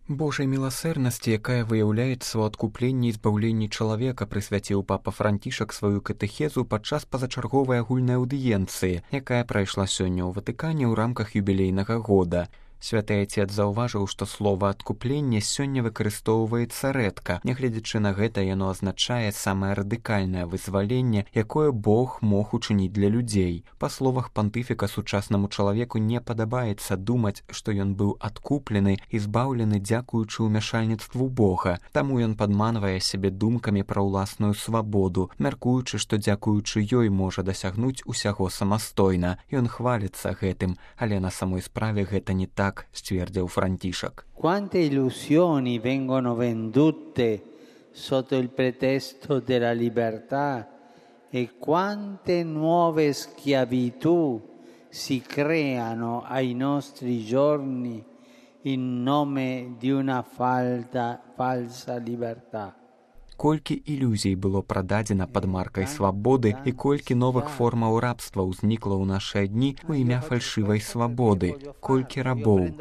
Божай міласэрнасці, якая выяўляецца ў адкупленні і збаўленні чалавека, прысвяціў папа Францішак сваю катэхезу падчас пазачарговай агульнай аўдыенцыі, якая прайшла сёння ў Ватыкане ў рамках юбілейнага года. Святы Айцец заўважыў, што слова «адкупленне» сёння выкарыстоўваецца рэдка. Нягледзячы на гэта, яно азначае самае радыкальнае вызваленне, якое Бог мог учыніць для людзей. Па словах пантыфіка, сучаснаму чалавеку не падабаецца думаць, што ён быў адкуплены і збаўлены дзякуючы ўмяшальніцтву Бога. Таму ён падманвае сябе думкамі пра ўласную свабоду, мяркуючы, што дзякуючы ёй можа дасягнуць усяго самастойна. Ён хваліцца гэтым, але на самой справе гэта не так, ствердзіў Францішак. Quante illusioni vengono vendute sotto il pretesto della libertà e quante nuove schiavitù si creano ai nostri giorni in nome di una falsa libertà. Колькі ілюзій было прададзена пад маркай свабоды і колькі новых формаў рабства ўзнікла ў нашыя дні ў імя фальшывай свабоды, колькі рабоў.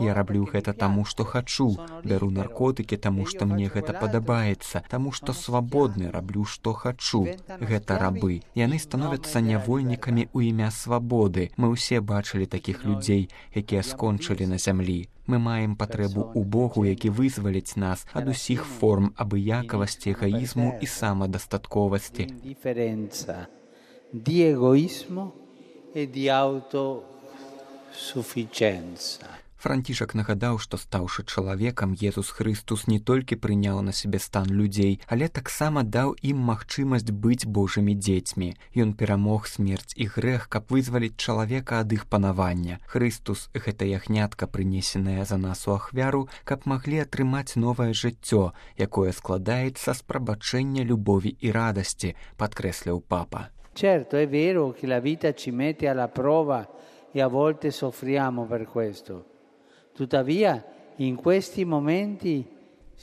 Я раблю гэта таму, што хачу, бяру наркотыкі таму, што мне гэта падабаецца, таму што свабодны, раблю, што хачу. Гэта рабы. Яны становяцца нявольнікамі ў імя свабоды. Мы ўсе бачылі такіх людзей, якія скончылі на зямлі. Мы маем патрэбу ў Богу, які вызваліць нас ад усіх форм абыякавасці, эгоізму і самадастатковасці. Di egoismo e di autosufficienza. Францішак нагадаў, што стаўшы чалавекам, Езус Хрыстус не толькі прыняў на сябе стан людзей, але таксама даў ім магчымасць быць Божымі дзецьмі. Ён перамог смерць і грэх, каб вызваліць чалавека ад іх панавання. Хрыстус — гэта ягнятка, прынесенае за нас у ахвяру, каб маглі атрымаць новае жыццё, якое складаецца з прабачэння, любові і радасці, падкрэсліў папа. Certo, è vero che la vita ci mette alla prova e a volte soffriamo per questo. Tuttavia, in questi momenti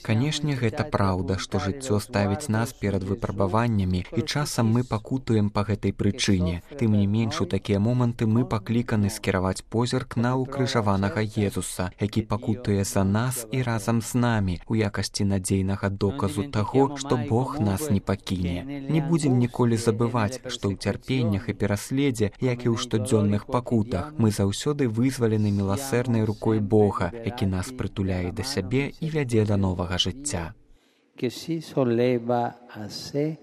Канешне, гэта праўда, што жыццё ставіць нас перад выпрабаваннямі, і часам мы пакутуем па гэтай прычыне. Тым не менш, у такія моманты мы пакліканы скіраваць позірк на укрыжаванага Езуса, які пакутуе за нас і разам з намі, у якасці надзейнага доказу таго, што Бог нас не пакіне. Не будзем ніколі забываць, што ў цярпеннях і пераследзе, як і ў штодзённых пакутах, мы заўсёды вызвалены міласэрнай рукой Бога, які нас прытуляе да сябе і вядзе да новага жыцця. Che si solleva a sé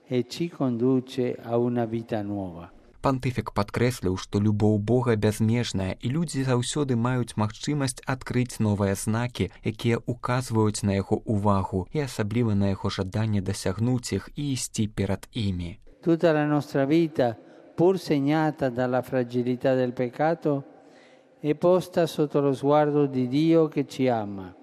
e ci conduce a una vita nuova. Пантыфік падкрэсліў, што любоў Бога бязмежная, і людзі заўсёды маюць магчымасць адкрыць новыя знакі, якія указваюць на яго увагу і асабліва на яго жаданне дасягнуць іх і ісці перад імі. Tutta la nostra vita, pur segnata dalla fragilità del peccato, è posta sotto lo sguardo di Dio che ci ama.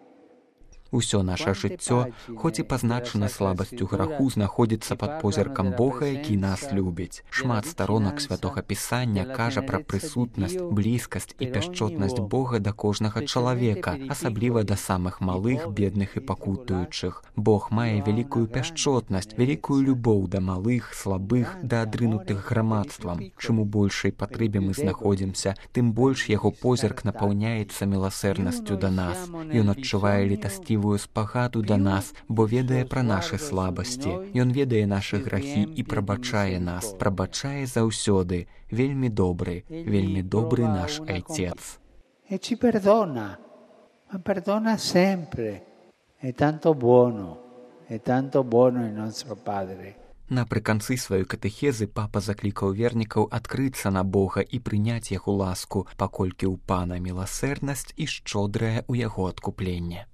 Усё наша жыццё, хоць і пазначана слабасцю граху, знаходзіцца пад позіркам Бога, які нас любіць. Шмат старонак святога Пісання кажа пра прысутнасць, блізкасць і пяшчотнасць Бога да кожнага чалавека, асабліва да самых малых, бедных і пакутуючых. Бог мае вялікую пяшчотнасць, вялікую любоў да малых, слабых, да адрынутых грамадствам. Чым у большай патрэбе мы знаходзімся, тым больш яго позірк напаўняецца міласэрнасцю да нас. Ён адчувае літасцівую спагаду да нас, бо ведае пра нашы слабасці. Ён ведае нашы грахі і прабачае нас, прабачае заўсёды. Вельмі добры наш Айцец. E ci perdona, ma perdona sempre. È tanto buono il nostro Padre. Напрыканцы сваёй катэхезы папа заклікаў вернікаў адкрыцца на Бога і прыняць яго ласку, паколькі ў Пана міласэрнасць і шчодрае ў яго адкупленне.